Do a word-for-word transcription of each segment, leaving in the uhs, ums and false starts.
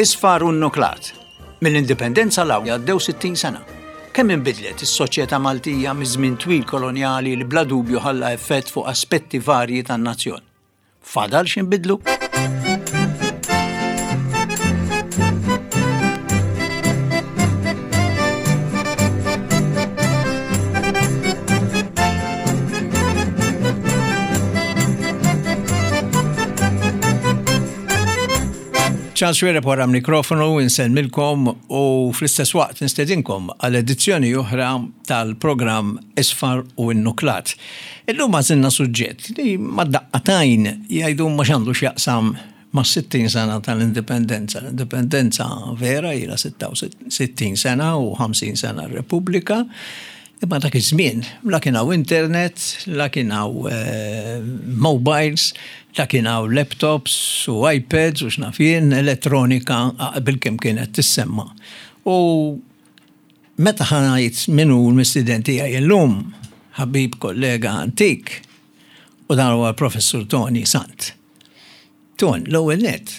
Isfar u Nnuklat. Mill-indipendenza 'l hawn għaddew sittin sena. Kemm inbidlet is-soċjetà Maltija miż-żmien twil kolonjali li bla dubju ħalla effett fuq aspetti varji tan-nazzjon. Fadal x'inbidlu? Charles Xuereb wara mikrofonu insellmilkom u fl-istess waqt nistedinkom għal edizzjoni oħra tal-programm Isfar u Nnuklat. Illum għażilna suġġett li mad-daqqatajn jgħidu ma x'għandu x'jaqsam ma' sittin sena tal-indipendenza. L-indipendenza vera ilha sittin sena u ħamsin sena r-Repubblika. Imma dak iż-żmien la kien hawn internet, la kien hawn eh, mobiles, la kien hawn laptops u iPads u x'naf jien, elettronika bil-kemm kienet tissemma. U meta ħa ngħid min hu l-mistieden tiegħi illum, ħabib kollega antik, u dan huwa l-Professur Tony Sant. Ton, l-ewwel net,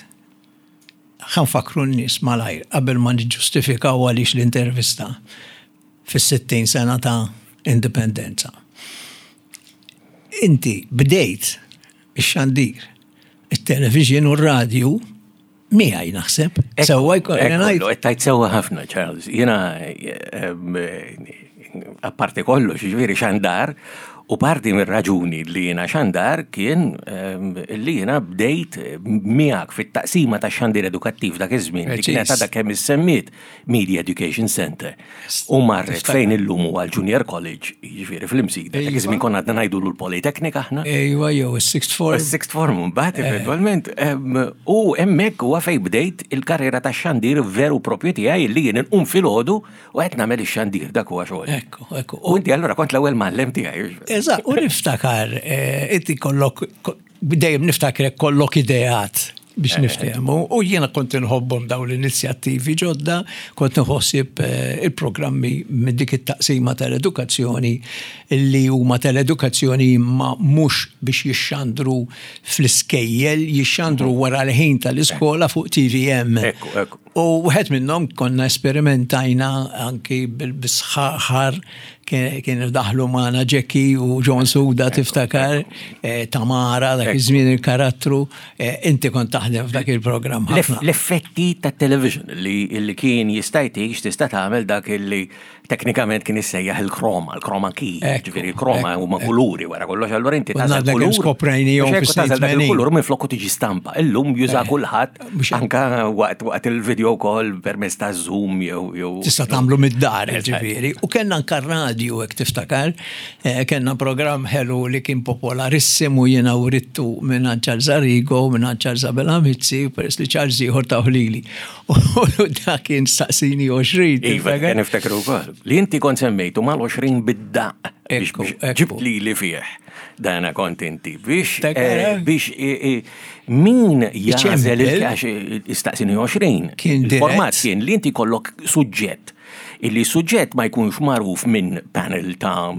ħa nfakkru n-nies malajr qabel ma niġġustifikaw għaliex l-intervista fis-sittin sena ta' indipendenza. Inti bdejt ix-xandir, it-television u r-radju miegħi naħseb. Sewwa jkolli ngħid. Qed tgħid sewwa ħafna, Charles. Jiena apparti kollox, jiġifieri xandar, u parti mir-raġuni li jiena xandar kien li jiena bdejt miegħek fit-taqsima ta' xandir edukattiv dak iż-żmien li kienet għadha kemm issemmiet Media Education Center. U marret fejn illum huwa l-Junior College, jiġifieri fl-Imsida. Dak iż-żmien konna għadna ngħidulu l-Politeknika aħna. Ejwa, jew is-sixth form. Is-sixth form mbagħad eventwalment. U hemmhekk huwa fejn bdejt il-karriera tax-xandir veru propju tiegħi li jien inqum filgħodu u qed nagħmel ix-xandir dak huwa xogħol. Ekku, ekku. U inti allura kont l-ewwel mgħallem tiegħi. Eżatt, u niftakar, inti kollok, dejjem niftakrek kollok ideat biex niftehmu, u jiena kont inħobbhom dawn l-inizjattivi ġodda, kont nħossib il-programmi minn dik it-taqsima tal-edukazzjoni li huma tal-edukazzjoni imma mhux biex jixxandru fl-iskejjel, jixxandru wara l-ħin tal-iskola fuq T V M. Ekku, ekku. U wieħed minnhom konna esperimentajna anki bil-sħaħar, kien daħlu magħna Jackie u John Suda tiftakar, Tamara, dak iż-żmien il-karattru, inti kont taħdem f'dak il-programm ħafna. L-effetti tat-television li kien jista' jtik x'tista' tagħmel dak li teknikament kien issejjaħ il-kroma, il-kroma key, ġifieri il-kroma huma kuluri wara kollox, allura inti Konna tagħżel dak kulur. Skoprejnihom Biex hekk fis-snin tagħżel dak tmenin. il-kulur minn flokku tiġi stampa. Illum juża kulħadd anka waqt, waqt il-video call permezz ta' Zoom jew, jew Tista' tagħmlu mid-dar, Eżatt. ġifieri. U kellna anka radio hekk tiftakar, eh, kellna programm ħelu li kien popolarissimu jiena writtu minn Charles Arrigo, minn Charles Abela Mizzi, peress li Charles ieħor ta' ħlili. U dak kien staqsini għoxrin, Iva, tiftakar? kien niftakru wkoll. Li inti kont semmejtu mal-għoxrin bid-daqq biex Ekku, biex ekku. ġibt li li fih. Dana kont inti biex, Tiftakar, eh, eh? biex, eh, eh, min jagħżel Iċempel. il-kax istaqsini għoxrin. Kien Il-format dirett. kien li inti kollok suġġett. Illi suġġett ma jkunx magħruf minn panel ta'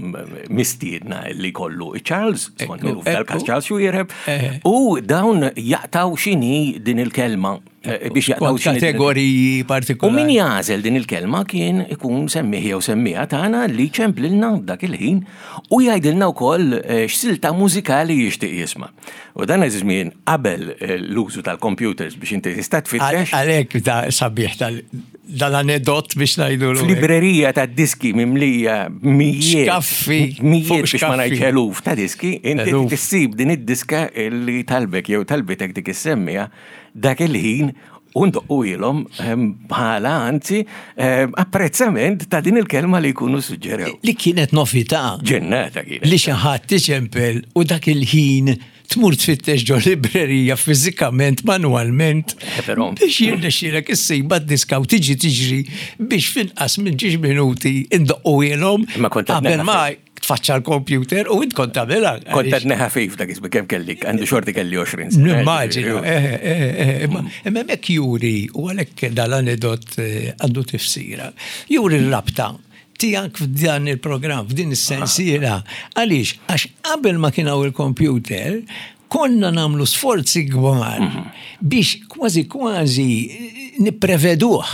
mistiedna li kollu Charles, skont Ekku, minnu f'dal-każ ekku. Charles Xuereb, Eh. u dawn jaqtaw x'inhi din il-kelma, eh, biex jaqtaw Kont x'inhi din il- kategoriji U partikolari. min jagħżel din il-kelma kien ikun semmih jew semmieha tagħna li ċemplilna dak il-ħin u jgħidilna wkoll, eh, x'silta mużikali jixtieq jisma'. U dan iż-żmien qabel, eh, l-użu tal-computers biex inti tista' tfittex. Għalhekk da sabiħ tal- dal-anedot biex ngħidu l-ewwel. F'librerija ta' diski mimlija mijiet. Xkaffi, Mijiet fuq biex ma xkaffi. ngħidx eluf ta' diski, inti Eluf. tissib din id-diska li talbek jew talbitek dik is-semmija dak il-ħin u ndoqqu ilhom, ehm, bħala anzi, ehm, apprezzament ta' din il-kelma li jkunu suġġerew. Li kienet novità. Ġennata kienet. Li xi ħadd tiċempel u dak il-ħin tmur tfittex ġo librerija fiżikament, manualment, Eh, però. biex jirnexxielek issib d-diska u tiġi tiġri biex finqas minn ġiex minuti indoqqu ilhom Imma kont qed qabel ma neħafif. tfaċċa l-computer u int kont tagħmilha. Kont qed neħafif dak iż-żmien kemm kelli, għandu xorti kelli għoxrin sena. Nimmaġina, eh, eh, eh, imma imma hemmhekk juri, u għalhekk dal-anedot, eh, għandu tifsira, juri r-rabta tiegħek f'dan il-programm, f'din is-sensiela. Għaliex? Għax qabel ma kien hawn il-computer, konna namlu sforzi kbar Mhm. biex kważi kważi Nippreveduh.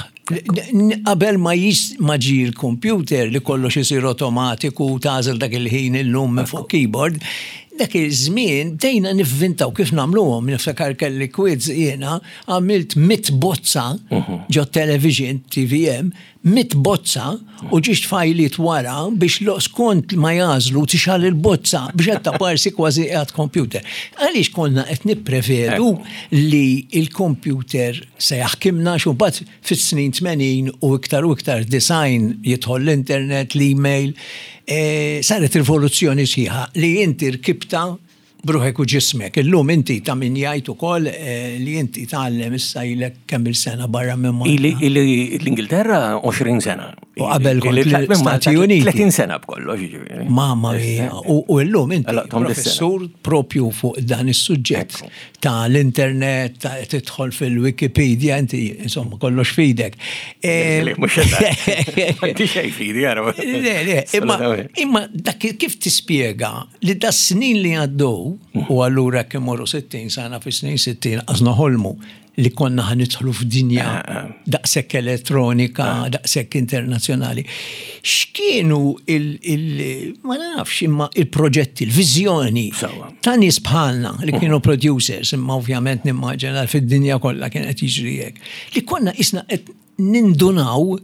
Qabel ma jis ma ġie l-computer li kollox isir automatiku, tagħżel dak il-ħin illum minn fuq keyboard, dak iż-żmien bdejna nivvintaw kif nagħmluhom. Niftakar kelli quiz jiena, għamilt mitt bozza ġo television T V M, mitt bozza u ġiġt fajliet wara biex lo skont ma jagħżlu tixgħel il-bozza biex qed taparsi kważi qiegħed computer. Għaliex konna qed nipprevedu li il-computer se jaħkimna? Xu mbagħad fis-snin tmenin u iktar u iktar design jidħol l-internet, l-email, e, saret rivoluzzjoni sħiħa li inti rkibta b'ruħek u ġismek. Illum inti ta' min jgħid ukoll eh, li inti tgħallem issa ilek kemm il-sena barra minn Malta? Ili ili l-Ingilterra għoxrin sena. U qabel kont Ili tlaqt minn Malta l-Stati Uniti. tletin sena b'kollox, jiġifieri. Mamma mia, u, u llum inti Allora, tom dis-sena. professur propju fuq dan is-suġġett ta' l-internet, ta' tidħol fil-Wikipedia, inti insomma kollox fidek. Eh, Le, mhux eżatt. M'għandi xejn fidi, ara. Le, le, imma, imma dak kif tispjega li da snin li għaddew, u allura kemm morru sittin sena, fi snin sittin għażna ħolmu li konna ħa nidħlu f'dinja daqshekk elettronika, daqshekk internazzjonali. X'kienu il, il ma nafx, imma il-proġetti, il-viżjoni Sewwa. ta' nies bħalna li kienu producers, imma ovvjament nimmaġina fid-dinja kollha kien qed jiġri hekk, li konna isna qed nindunaw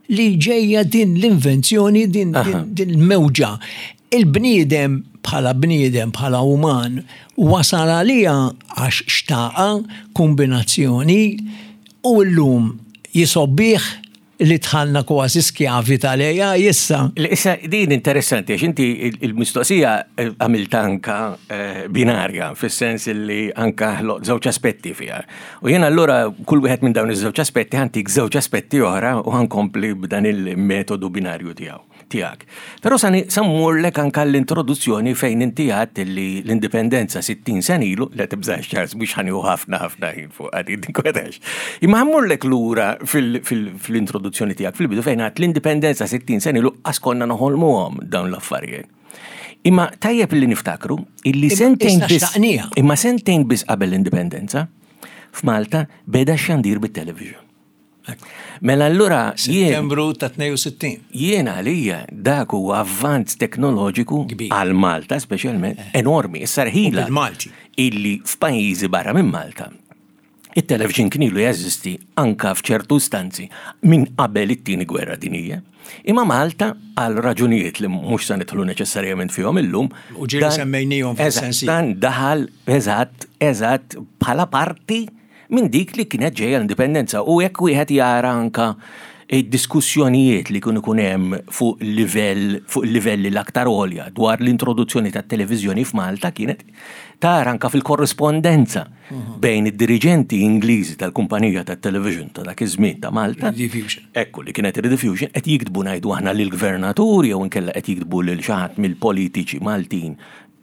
li ġejja din l-invenzjoni, din, din, din il-mewġa. Il-bniedem bħala bniedem, bħala uman, wasal għalija għax xtaqa, kombinazzjoni, u llum jisobbih li dħalna kważi skjavi tal-A I issa. Le, issa din interessanti, għax inti il- il-mistoqsija eh, għamilt anka eh, binarja, fis-sens li anka ħloq żewġ aspetti fiha. U jien allura kull wieħed minn dawn iż-żewġ aspetti ħa ntik żewġ aspetti oħra u ħa nkompli b'dan il-metodu binarju tiegħu tiegħek. Però sa mmurlek anka l-introduzzjoni fejn inti għedt li l-indipendenza sittin sena ilu, le tibżax Charles, mhux ħa nieħu ħafna ħafna ħin fuq għadi tinkwetax. Imma ħa mmurlek lura fil- fil- fil-introduzzjoni tiegħek fil-bidu fejn għedt l-indipendenza sittin sena ilu qas konna noħolmuhom dawn l-affarijiet. Imma tajjeb li niftakru illi Imma sentejn issa biss xtaqnija. Imma sentejn biss qabel l-indipendenza f'Malta beda xandir bit-television. Mela allura jien Settembru ta' tnejn u sittin. Jien għalija dak huwa avvanz teknoloġiku Kbir. għal Malta speċjalment enormi. Issa rħila U bil-Malti. illi f'pajjiżi barra minn Malta it-television kien ilu jeżisti anka f'ċertu stanzi minn qabel it-tieni gwerra dinjija. Imma Malta, għal raġunijiet li mhux se nidħlu neċessarjament fihom illum. U ġieli dan- semmejnihom Eżatt, fis-sensi. Dan daħal eżatt, eżatt bħala parti minn dik li kienet ġejja l-indipendenza u jekk wieħed jara anka id-diskussjonijiet li kienu ikun hemm fuq livell fuq livelli l-aktar għolja dwar l-introduzzjoni tat-televiżjoni f'Malta, kienet tara anka fil-korrispondenza bejn id-diriġenti Ingliżi tal-kumpanija tat-television ta' dak iż-żmien ta' Malta. Rediffusion. Ekku, li kienet Rediffusion, qed jiktbu, ngħidu aħna, lill-gvernatur jew inkella qed jiktbu lil xi ħadd mill-politiċi Maltin,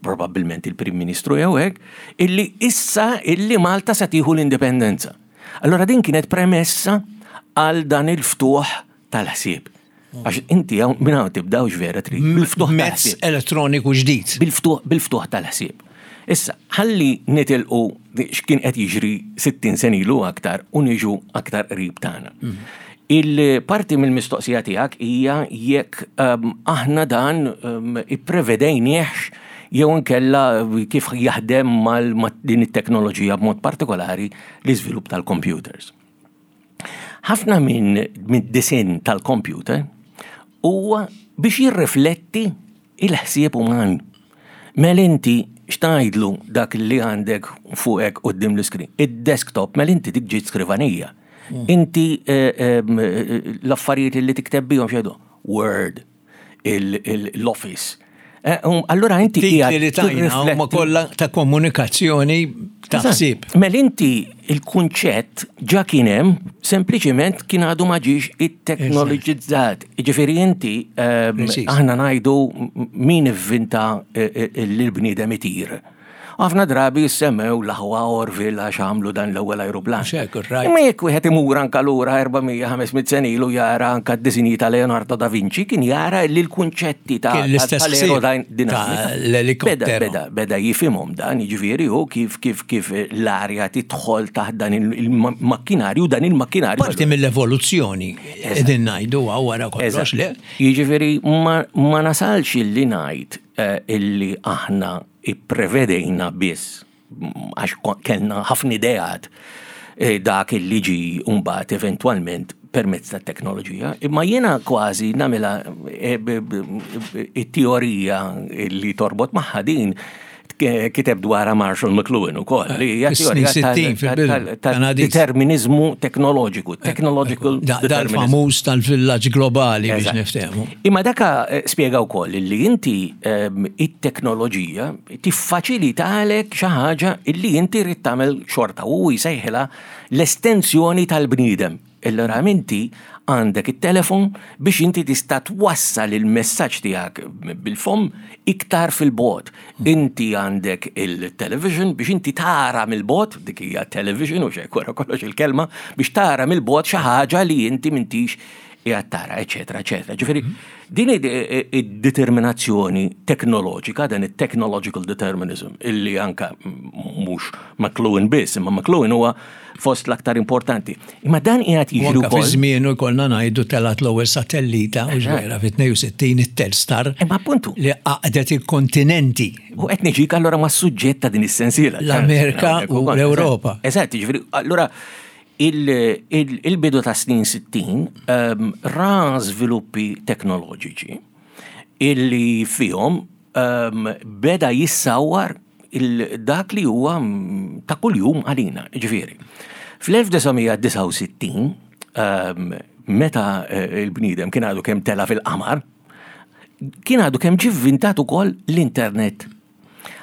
probabbilment il-Prim Ministru jew hekk, illi issa illi Malta se tieħu l-indipendenza. Allora din kienet premessa għal dan il-ftuħ tal-ħsieb. Għax inti hawn minn hawn tibdawx vera trid bil-ftuħ Mezz tal-ħsieb. Elettroniku ġdid. Bil-ftuħ bil-ftuħ tal-ħsieb. Issa, ħalli nitilqu x'kien qed jiġri sittin sena ilu aktar u niġu aktar qrib tagħna. Il-parti mill-mistoqsija tiegħek hija jekk um, aħna dan um, ipprevedejniehx jew inkella kif jaħdem mal ma' din it-teknoloġija, b'mod partikolari l-iżvilupp tal-computers. Ħafna minn minn disinn tal-computer huwa biex jirrifletti il-ħsieb uman. Mela inti x'tgħidlu dak li għandek fuqek quddiem l-iskrin? Id-desktop, mela inti dik ġiet skrivanija. Inti eh, em, eh, l-affarijiet li tikteb bihom x'jgħidu? Word, il- il- l-Office. Eh, um, Allura inti Titli qiegħed li tajna huma tirrifletti- kollha ta' komunikazzjoni ta' ħsieb. Mela inti il-kunċett ġa kien hemm, sempliċiment kien għadu ma ġiex it-teknoloġizzat. Ġifieri inti ehm, Preċiż. aħna ngħidu m- min ivvinta eh, eh, l-bniedem itir. Ħafna drabi jissemmew l-aħwa Orville għax għamlu dan l-ewwel ajruplan. Mhux hekk, right. Imma jekk wieħed imur anka lura erba' mija ħames mitt sena ilu jara anka d-disinji ta' Leonardo da Vinci, kien jara li l-kunċetti ta' Kien l-istess ħsieb tal-aerodinamika ta' l-elikopteru. Beda, beda, beda jifhimhom dan, jiġifieri hu kif, kif, kif l-arja tidħol taħt dan il-makkinarju, dan il-makkinarju. Parti mill-evoluzzjoni qegħdin ngħidu wara kollox, le? Jiġifieri ma, ma nasalx illi ngħid, eh, illi aħna ipprevedejna biss għax ko-, kellna ħafna ideat, eh, dak illi ġi mbagħad eventwalment permezz tat-teknoloġija, imma jiena kważi nagħmilha, eh, b-, b-, b-, it-teorija li torbot magħha din k-, kiteb dwarha Marshall McLuhan ukoll, li hija Fis-snin teorija tal- sittin fil-bidu, tal-, tal-, Kanadiż. determinizmu teknoloġiku, technological Da-, determinism. Dal-famuż tal-villaġġ globali biex Eżatt. niftehmu. Imma daka, eh, spjega wkoll li inti, ehm, it-teknoloġija tiffaċilitalek xi ħaġa illi inti rrid tagħmel xorta u jsejħilha l-estensjoni tal-bniedem. Allura inti għandek it-telefon biex inti tista' twassal il-messaġġ tiegħek bil-fom iktar fil-bogħod. Inti għandek il-television biex inti tara mill-bogħod, dik hija television u xejn wara kollox il-kelma, biex tara mill-bogħod xi ħaġa li inti m'intix qiegħed tara, eċetera, eċetera. Ġifieri, din id-, id-determinazzjoni teknoloġika, dan it-technological determinism, illi anka mhux McLuhan biss, imma McLuhan huwa fost l-aktar importanti. Imma dan qiegħed jiġri U anka fi wkoll. żmienu jkollna ngħidu telgħet l-ewwel satellita, u Eżatt. ġvera fi tnejn u sittin it-Telstar. Imma appuntu. Li għaqdet il-kontinenti. U qed niġik allura mas-suġġett ta' din is-sensiela. L-Amerika Eżatt, u l-Ewropa. Eżatt, jiġifieri, allura il-, il-, il-bidu ta' snin sittin, ehm, ra żviluppi teknoloġiċi illi fihom, ehm, beda jissawar il-, dak li huwa ta' kuljum għalina, ġifieri. Fl-elf disa' mija disgħa u sittin, ehm, meta, eh, il-bniedem kien għadu kemm tela fil-qamar, kien għadu kemm ġie vvintat ukoll l-internet.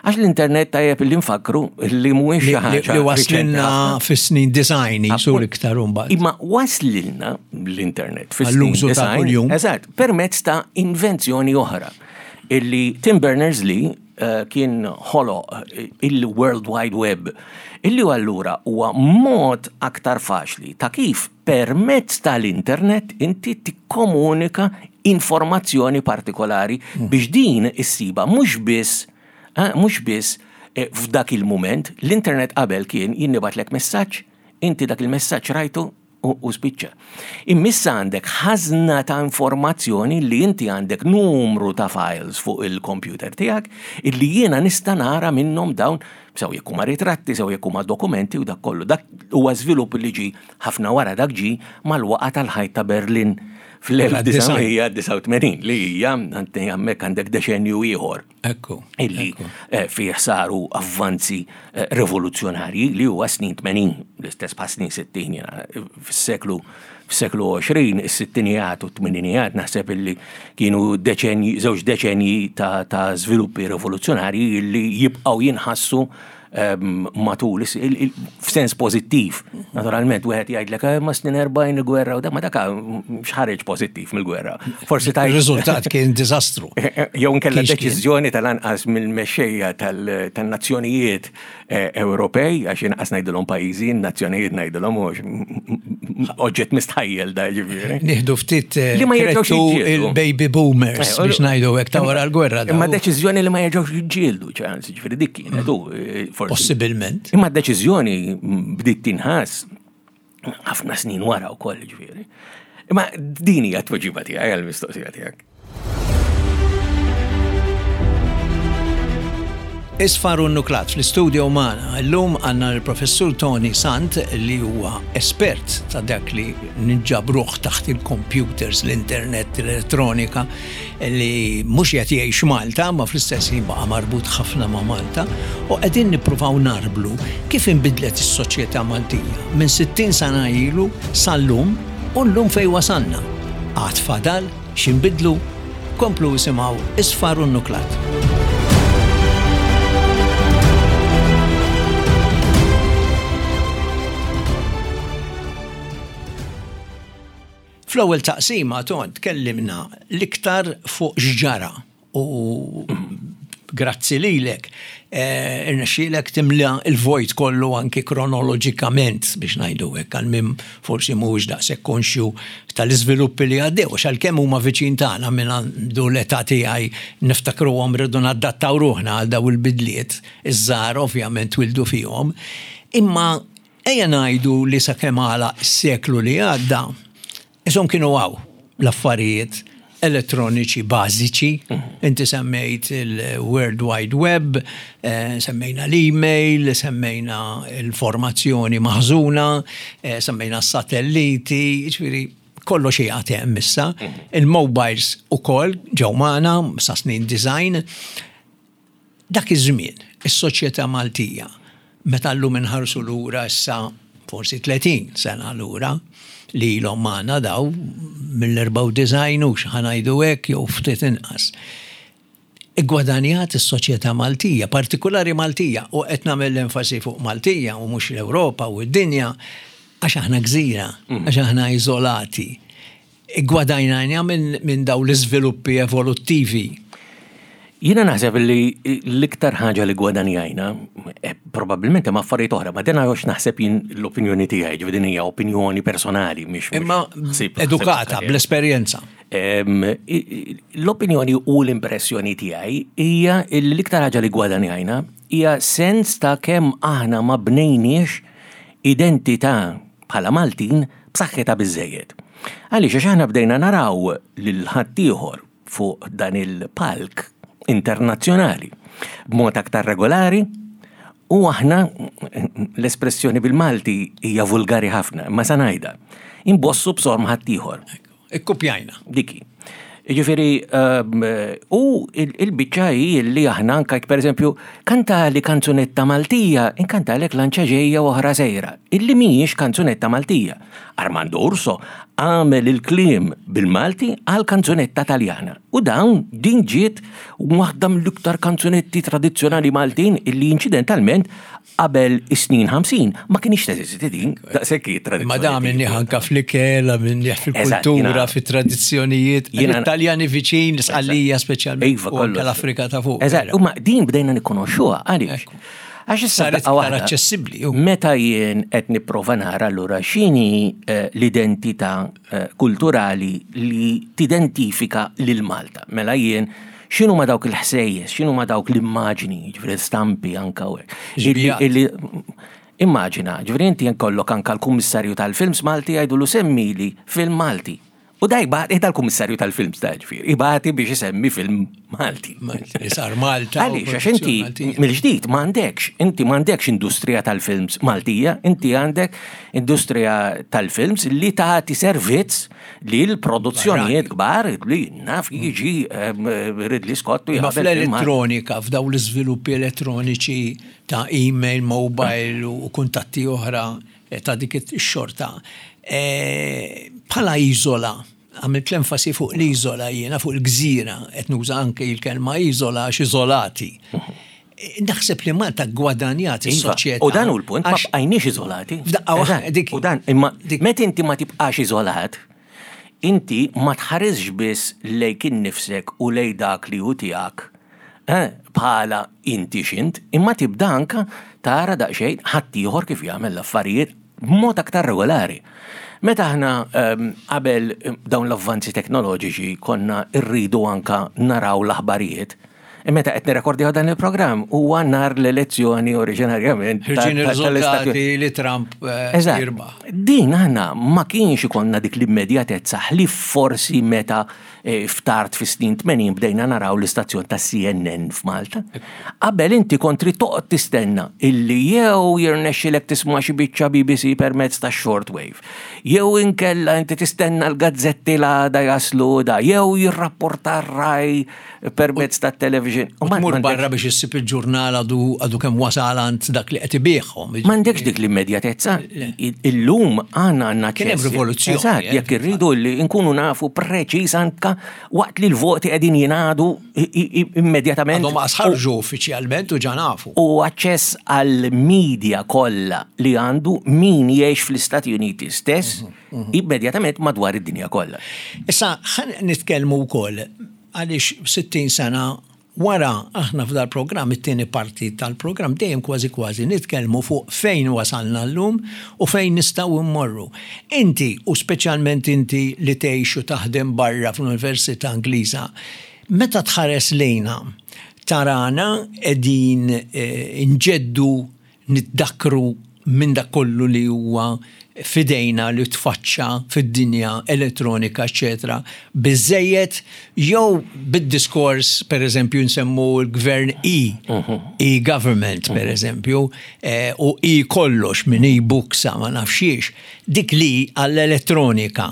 Għax l-internet tajjeb li nfakru li mhuwiex xi Li-, li-, ħaġa li waslilna riċenti ħafna. fis-snin design Appunt. sur iktar imbagħad. Imma waslilna l-internet fis-snin Għall-użu ta' design, kuljum. Eżatt, permezz ta' invenzjoni oħra illi Tim Berners-Lee, eh, kien ħoloq, eh, il-World Wide Web, illi allura huwa mod aktar faċli ta' kif permezz tal-internet inti tikkomunika informazzjoni partikolari Hmm. biex din issiba mhux biss, eh, mhux biss, eh, f'dak il-mument. L-internet qabel kien jinnibatlek messaġġ, inti dak il-messaġġ rajtu u, u spiċċa. Immissa għandek ħażna ta' informazzjoni li inti għandek numru ta' files fuq il-computer tiegħek illi jiena nista' nara minnhom dawn, sew jekk huma ritratti, sew jekk huma dokumenti u dak kollu. Dak huwa żvilupp li ġi ħafna wara dak ġi mal-waqa tal-ħajt ta' Berlin fl-elf disa' mija disgħa u tmenin, li hija għandi hemmhekk għandek deċenju ieħor. Ekku, Illi, ekku. eh, fih saru avvanzi, eh, rivoluzzjonarji li huwa snin tmenin, l-istess bħal snin sittin, jiena, fis-seklu, fis-seklu għoxrin, is-sittinijat u t-tmeninijat naħseb illi kienu deċenji, żewġ deċenji ta', ta' żviluppi rivoluzzjonarji illi jibqgħu jinħassu, ehm, matul is-, il-, il-, f'sens pożittiv. Naturalment, wieħed jgħidlek, eh, ma snin erbgħin il-gwerra u da, ma dak x'ħareġ pożittiv mill-gwerra. Forsi tajt Ir-riżultat kien diżastru. Jew inkella Kienx kien. deċiżjoni tal-anqas mill-mexxejja tal-, tan-nazzjonijiet, eh, Ewropej, għax inqas ngħidulhom pajjiżi, nazzjonijiet ngħidulhom mhux oġġett mistħajjel da ġifieri. Nieħdu ftit, eh, Li ma jerġgħux krettu jiġġieldu. il-baby boomers Eh, biex ngħidu hekk ta' wara l-gwerra Imma daw. deċiżjoni li ma jerġgħux jiġġieldu, ċans, ġifieri dik kienet u, eh, forsi. Possibilment. Imma d-deċiżjoni bdiet tinħass ħafna snin wara wkoll, ġifieri. Imma din hija t-tweġiba tiegħi għall-mistoqsija tiegħek. Isfar u Nuklat fl-istudio magħna. Illum għandna l-professur Toni Sant li huwa espert ta' dak li nġabruh taħt il-computers, l-internet, l-elettronika, li mhux qed jgħix Malta, ma fl-istess ħin baqa' marbut ħafna ma' Malta, u qegħdin nippruvaw narblu kif inbidlet is-soċjetà Maltija minn sittin sena ilu sal-lum u llum fejn wasalna. Għad fadal x'inbidlu, komplu isimgħu Isfar u Nuklat. Fl-ewwel taqsima, Ton, tkellimna l-iktar fuq x'ġara u grazzi lilek, eh, irnexxielek timla il-vojt kollu anki kronoloġikament, biex ngħidu hekk, għal min forsi mhuwiex daqshekk konxju tal-iżviluppi li għaddew, għax għalkemm huma viċin tagħna, minn għandu l-età tiegħi niftakruhom, rridu nadattaw ruħna għal daw il-bidliet, iż-żgħar ovvjament wildu fihom. Imma ejja ngħidu li sakemm għala s-seklu li għadda, isom kienu għaw l-affarijiet elettroniċi bażiċi. Inti semmejt il-World Wide Web, eh, semmejna l-email, semmejna l-formazzjoni maħżuna, eh, semmejna s-satelliti, ġifieri kollox qiegħed hemm issa. Il-mobiles ukoll ġew magħna sa snin disgħin. Dak iż-żmien, is-soċjetà Maltija, meta llum inħarsu lura issa forsi tletin sena lura, li ilhom magħna daw mill-erbgħa u disgħin u ħa ngħidu hekk jew ftit inqas. Iggwadanjat is-soċjetà Maltija, partikolari Maltija, u qed nagħmel l-enfasi fuq Maltija u mhux l-Ewropa u d-dinja, għax aħna gżira, għax aħna iżolati. Iggwadajnajna minn min daw l-iżviluppi evoluttivi. Jiena naħseb li l-iktar ħaġa li gwadanjajna, eh, probabbilment hemm affarijiet oħra, ma din għax naħseb jien l-opinjoni tiegħi, ġifieri din hija opinjoni personali, mhix mhux Imma ħsieb- edukata ħsieb bl-esperjenza. Em, i- i- L-opinjoni u l-impressjoni tiegħi hija li l-iktar ħaġa li gwadanjajna hija sens ta' kemm aħna ma bnejniex identità bħala Maltin b'saħħitha biżejjed. Għaliex? Għax aħna bdejna naraw lil ħaddieħor fuq dan il-palk internazzjonali b'mod aktar regolari u aħna, l-espressjoni bil-Malti hija vulgari ħafna, ma sa ngħidha, imbossu b'sorm ħaddieħor. Ikkupjajna. Diki. Ġifieri, um, u il- il-biċċa hi li aħna anka per eżempju, kanta li kanzunetta Maltija, inkanta lek "Lanċa ġejja u oħra sejra", illi mhijiex kanzunetta Maltija. Armando Urso għamel il-kliem bil-Malti għal kanzunetta Taljana. U dawn din ġiet waħda mill-iktar kanzunetti tradizzjonali Maltin illi incidentalment qabel is-snin ħamsin ma kienx teżisti din, daqshekk hi Ma da tradizzjoni. minni anka fl-ikel, minni Eżatt, fil-kultura, jiena- fit-tradizzjonijiet. Jiena- L-Italjani viċin, l-Sqallija speċjalment, Iva, u anke kollox. l-Afrika ta' fuq. Eżatt, u ma din bdejna nikkonoxxuha għaliex? Ekku. Għax issa Saret daqqa iktar waħda, aċċessibbli, ju. Meta jien qed nipprova nara allura x'inhi eh, l-identità eh, kulturali li tidentifika lil Malta. Mela jien x'inhu ma dawk il-ħsejjes, x'inhu ma dawk l-immaġni, ġifieri stampi anka u hekk. Illi- Xbijat. illi- Immaġina, ġifieri inti jkollok anka l-kummissarju tal-films Malti jgħidulu "Semmili film Malti". U da jibgħat, dal-kummissarju tal-films da ġifieri, ibati biex isemmi film Malti. Malti, sar Malta. u Għaliex, għax inti produzzjoni Maltija. mill-ġdid m'għandekx, inti m'għandekx industrija tal-films Maltija, inti għandek industrija tal-films li tagħti servizz li l-produzzjonijiet kbar li naf jiġi em, Ridley Scott u Ma jagħmel film Malti. fl-elettronika, f'daw l-iżviluppi elettroniċi ta' email, mobile u kuntatti oħra eh, ta' dik ix-xorta. eh, Bħala iżola, għamilt l-enfasi fuq l-iżola jiena, fuq il-gżira, qed nuża anke il-kelma iżola għax iżolati. Eh, Naħseb li Malta gwadanjat Iva, is-soċjetà. U dan hu l-punt, ma għax- bqajniex iżolati. F'daqqa waħda, Eżatt, dik- U dan, imma dik- meta inti ma tibqax iżolat, inti ma tħaresx biss lejk innifsek u lej dak li hu tiegħek eh, bħala inti xint, imma tibda anka tara daqsxejn ħaddieħor kif jagħmel l-affarijiet b'mod aktar regolari. Meta aħna ehm, qabel dawn l-avvanzi teknoloġiċi konna rridu anka naraw l-aħbarijiet, meta qed nirrekordjaw dan il-programm huwa nar l-elezzjoni oriġinarjament ta- Ħirġin ta- tal-Istati ir-riżultati li Trump eh, Eżatt. jirbaħ. Din aħna ma kienx ikollna dik l-immedjatezza li forsi meta eh, ftart fi snin tmenin bdejna naraw l-istazzjon ta' C N N f'Malta. Qabel inti kont trid toqgħod tistenna illi jew jirnexxilek tisma' xi biċċa B B C permezz ta' shortwave, jew inkella inti tistenna l-gazzetti l-għada jaslu da, jew jirrapporta r-RAI permezz ta' television. U ma- tmur m'għandekx- barra biex issib il-ġurnal għadu għadu kemm wasal għand dak li qed ibiħhom. M'għandekx dik l-immedjatezza. Illum għandna għandna Kien hemm ċess. rivoluzzjoni, Eżatt, eh, jekk irridu li nkunu nafu preċiż anka waqt li l-voti qegħdin jingħadu i- i- immedjatament. Għadhom ma ħarġu uffiċjalment u ġa nafu. U aċċess għal media kollha li għandu min jgħix fl-Istati Uniti stess Mhm, immedjatament madwar id-dinja kollha. Issa, ħan nitkellmu wkoll għaliex sittin sena Wara aħna f'dal programm, it-tieni parti tal-programm, dejjem kważi kważi nitkellmu fuq fejn wasalna llum u fejn nistgħu mmorru. Inti, u speċjalment inti li tgħix u taħdem barra fl-Università Ingliża, meta tħares lejna, tarana qegħdin eh, nġeddu, niddakkru minn dak kollu li huwa fidejna li tfaċċa fid-dinja elettronika, eccetera, biżejjed jew bid-diskors, per eżempju, nsemmu l-gvern E, e-government, per eżempju, eh, u e-kollox minn e-books ma nafxiex, dik li għall-elettronika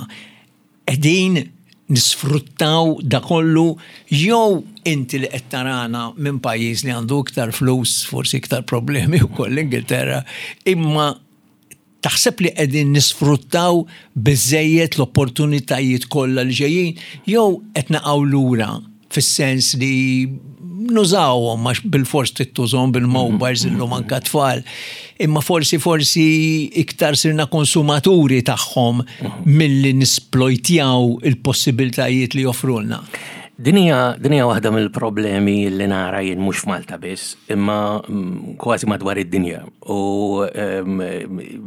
qegħdin nisfruttaw da kollu, jew inti li qed tarana minn pajjiż li għandu iktar flus, forsi iktar problemi wkoll l-Ingilterra, imma taħseb li qegħdin nisfruttaw biżejjed l-opportunitajiet kollha li ġejjin jew qed naqgħu lura fis-sens li nużawhom għax bil-fors tittużhom bil-mobiles illum anka tfal, imma forsi forsi iktar sirna konsumaturi tagħhom milli nisplojtjaw il-possibiltajiet li joffrulna? Din hija din hija waħda mill-problemi li nara jien mhux f'Malta biss, imma mm, kważi madwar id-dinja. U em,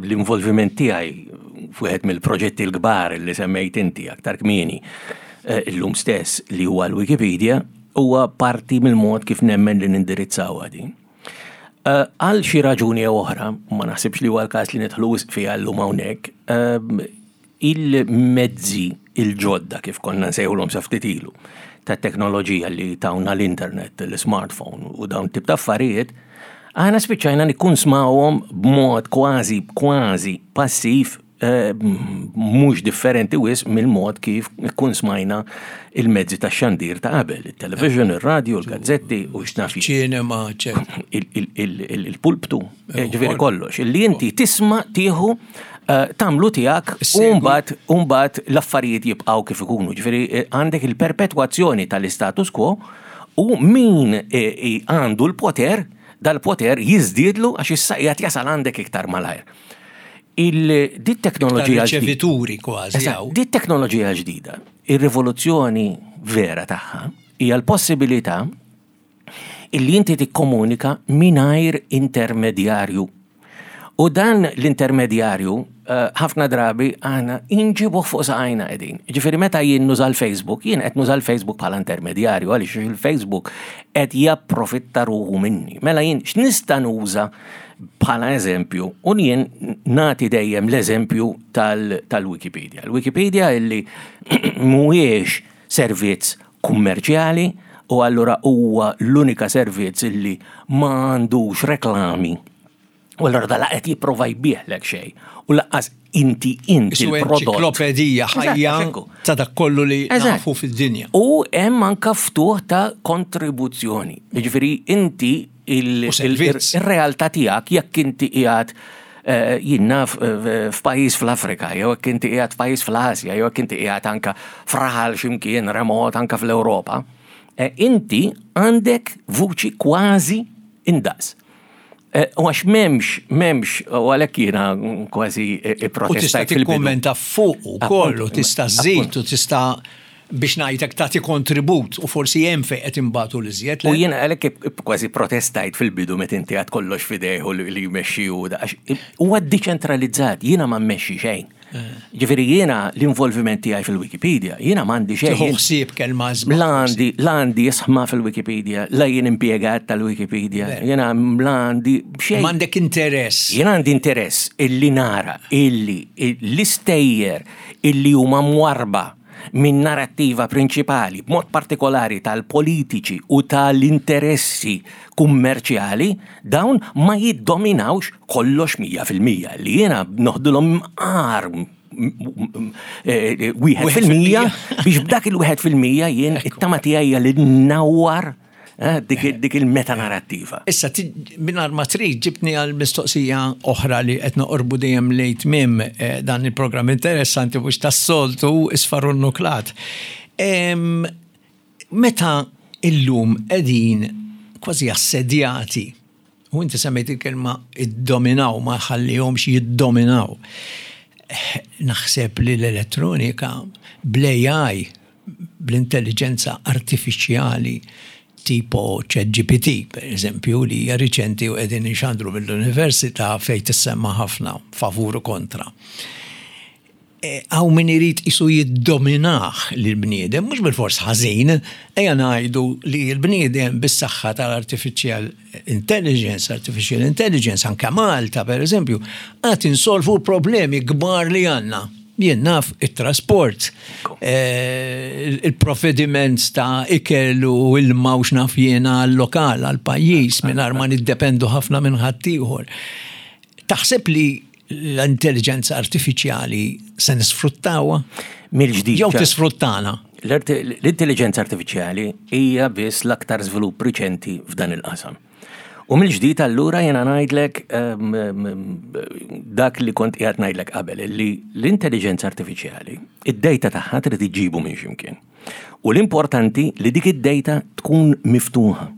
l-involviment tiegħi f'wieħed mill-proġetti l-kbar li semmejt inti aktar kmieni eh, illum stess, li huwa l-Wikipedia, huwa parti mill-mod kif nemmen li nindirizzaw din. Eh, Għal xi raġuni jew oħra, ma naħsibx li huwa l-każ li nidħlu wisq fiha llum hawnhekk, ehm, il-mezzi il-ġodda, kif konna nsejħulhom sa ftit ilu, ta' teknoloġija li tawna l-internet, l-smartphone u dawn tip ta' affarijiet, aħna spiċċajna nikkunsmawhom b'mod kważi kważi passiv, eh, mhux differenti wisq mill-mod kif ikkunsmajna il-mezzi ta' xandir ta' qabel, il-television, il-radio, il-gazzetti u x'naf jien. Ċinema, eccetera. il- il- il- il- il-pulptu, eh, ġifieri kollox, illi inti tisma', tieħu, eh, tagħmlu tiegħek u Segwi. mbagħad u mbagħad l-affarijiet jibqgħu kif ikunu. Ġifieri eh, għandek il-perpetwazzjoni tal-istatus quo u min eh, eh, għandu l-poter, dal-poter jiżdiedlu għax issa qiegħed jasal għandek iktar malajr. Il dit teknoloġija ġdida. Riċevituri kważi. Eżatt, Hawn. Dit teknoloġija ġdida, ir-rivoluzzjoni vera tagħha hija l-possibilità illi inti tikkomunika mingħajr intermedjarju. U dan l-intermedjarju eh, ħafna drabi aħna inġibuh fuq saqajna qegħdin. Ġifieri meta jien nuża l-Facebook, jien qed nuża l-Facebook bħala intermedjarju għaliex il-Facebook qed japprofitta ruħu minni. Mela jien x'nista' nuża bħala eżempju, u jien nagħti dejjem l-eżempju tal- tal-Wikipedia. L-Wikipedia illi mhuwiex servizz kummerċjali u allura huwa l-unika servizz illi ma għandux reklami. U allura da qed jipprova jbieħlek xejn. U lanqas inti inti Isu l-prodott. enċiklopedija ħajja Eżatt, ekku. ta' dak kollu li Eżatt. nafu fid-dinja. U hemm anka ftuħ ta' kontribuzzjoni. Jiġifieri inti il- U servizz. il- ir-realtà tiegħek, jekk inti qiegħed eh, jien naf eh, f'pajjiż fl-Afrika, jew jekk inti qiegħed f'pajjiż fl-Asja, jew jekk inti qiegħed anka f'raħal x'imkien remot anka fl-Ewropa, eh, inti għandek vuċi kważi indaqs. Eh, U għax m'hemmx, m'hemmx, u għalhekk jiena kważi U tista' protestajt fil-bidu. tikkummenta fuq ukoll u Appunt, tista' żżid u tista' biex ngħidlek tagħti kontribut u forsi hemm fejn qed imbagħtu l-iżjed. U jiena għalhekk kważi protestajt fil-bidu meta inti għad kollox f'idejh u li li jmexxi u da, għax huwa deċentralizzat, jiena ma mmexxi xejn. Ġifieri jiena l-involviment tiegħi fil-Wikipedia, jiena m'għandi xejn. Tieħu ħsieb kelma żball. La għandi, la għandi isma fil-Wikipedia, la jien impjegat tal-Wikipedia, jiena la għandi xejn. M'għandek interess. Jien għandi interess illi nara illi l-istejjer illi huma mwarba minn narrattiva prinċipali, b'mod partikolari tal-politiċi u tal-interessi kummerċjali, dawn ma jiddominawx kollox mija fil-mija, li jiena noħdulhom mqar wieħed fil-mija biex b'dak il-wieħed fil-mija jien it-tama tiegħi hija li nnawwar eh, dik dik il-metanarrattiva. Issa, mingħajr ma trid ġibtni għal mistoqsija oħra li qed noqorbu dejjem lejn tmiem eh, dan il-programm interessanti mhux tas-soltu Isfar u Nuklat. Em, Meta illum qegħdin kważi assedjati, u inti semmejt il-kelma id-dominaw, ma ħallihomx jiddominaw. Eh, Naħseb li l-elettronika bl-A I, bl-intelligenza artifiċjali, Tipo Chat G P T, per eżempju, li hija riċenti u qegħdin inxandru mill-università fejn tissemma ħafna favur u kontra. Hawn min irid isu jiddominah l-bniedem, mhux bil-fors ħażin, ejja ngħidu li l-bniedem bis-saħħa tal-artificial intelligence, artificial intelligence, anke Malta, per eżempju, għad insolvu problemi kbar li għandna. Jien naf it-trasport, eh, il-provvediment ta' ikel u ilma u x'naf jiena għal-lokal, għal-pajjiż, mingħajr ma niddependu ħafna minn ħaddieħor. Taħseb li l-intelligenza artifiċjali se nisfruttawha? Mill-ġdid. Jew tisfruttana? L-intelligenza artifiċjali hija biss l-aktar żvilupp riċenti f'dan il-qasam. U mill-ġdid allura jena ngħidlek ehm, ehm, dak li kont qiegħed ngħidlek qabel, li l-intelligenza artifiċjali, id-data tagħha trid iġibu minn x'imkien. U l-importanti li dik id-data tkun miftuħa.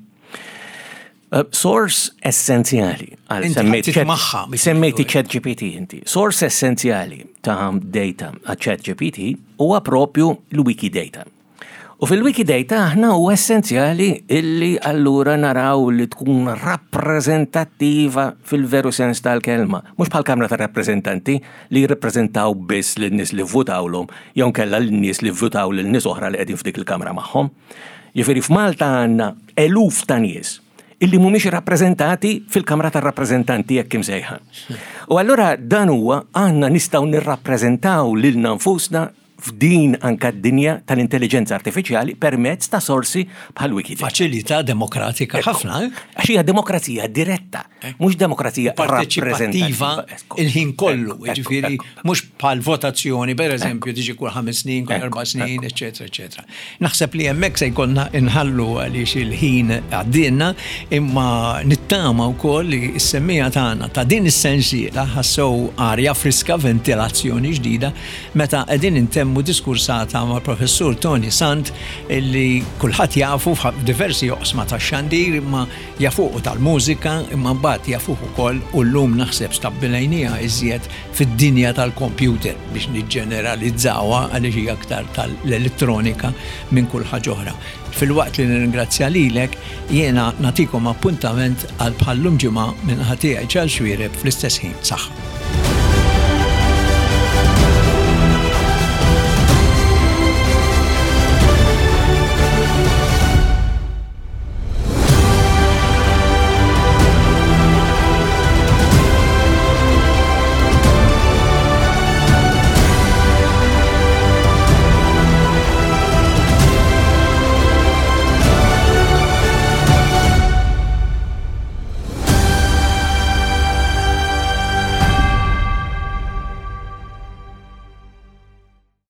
Uh, source essenzjali għal semmejt semmejti Chat G P T inti. Source essenzjali ta' data għal Chat G P T huwa propju l-Wikidata. U fil-Wikidata aħna u essenzjali illi allura naraw li tkun rappreżentattiva fil-veru sens tal-kelma. Mhux bħal Kamra ta' Rappreżentanti li jirrappreżentaw biss lin-nies li vvutawlhom jew kella lin-nies li vvutaw lil nies oħra li qegħdin f'dik il-kamra magħhom. Jiġifieri f'Malta għandna eluf ta' nies illi mhumiex rappreżentati fil-Kamra tar-Rappreżentanti jekk imsejħa. U allura dan huwa għandna nistgħu nirrappreżentaw lilna nfusna f'din anka d-dinja tal-intelligenza artifiċjali permezz ta' sorsi bħal Wikipedia. Faċilità demokratika ħafna, eh? Għax hija demokrazija diretta, mhux demokrazija parteċipattiva il-ħin kollu, ġifieri mhux bħal votazzjoni, per eżempju, tiġi kull ħames snin, kull erba' snin, eċetera, eċetera. Naħseb li hemmhekk se jkollna inħallu għaliex il-ħin għaddinna, imma nittama wkoll li s-semmiegħa tagħna ta' din is-sensiela ħassew arja friska, ventilazzjoni ġdida meta qegħdin intemmu diskursata ma' professur Tony Sant, illi kulħadd jafu f'diversi oqsma tax-xandir, imma jafuq tal-mużika, imma mbagħad jafuq ukoll u llum naħseb stabbilejnija iżjed fid-dinja tal-computer biex niġġeneralizzawha, għaliex hija aktar tal-elettronika minn kull ħaġa oħra. Filwaqt li nirringrazzja lilek, jiena nagħtikom appuntament għal bħallum ġimgħa minn ħatija ċal Xuereb fl-istess ħin. Saħħa.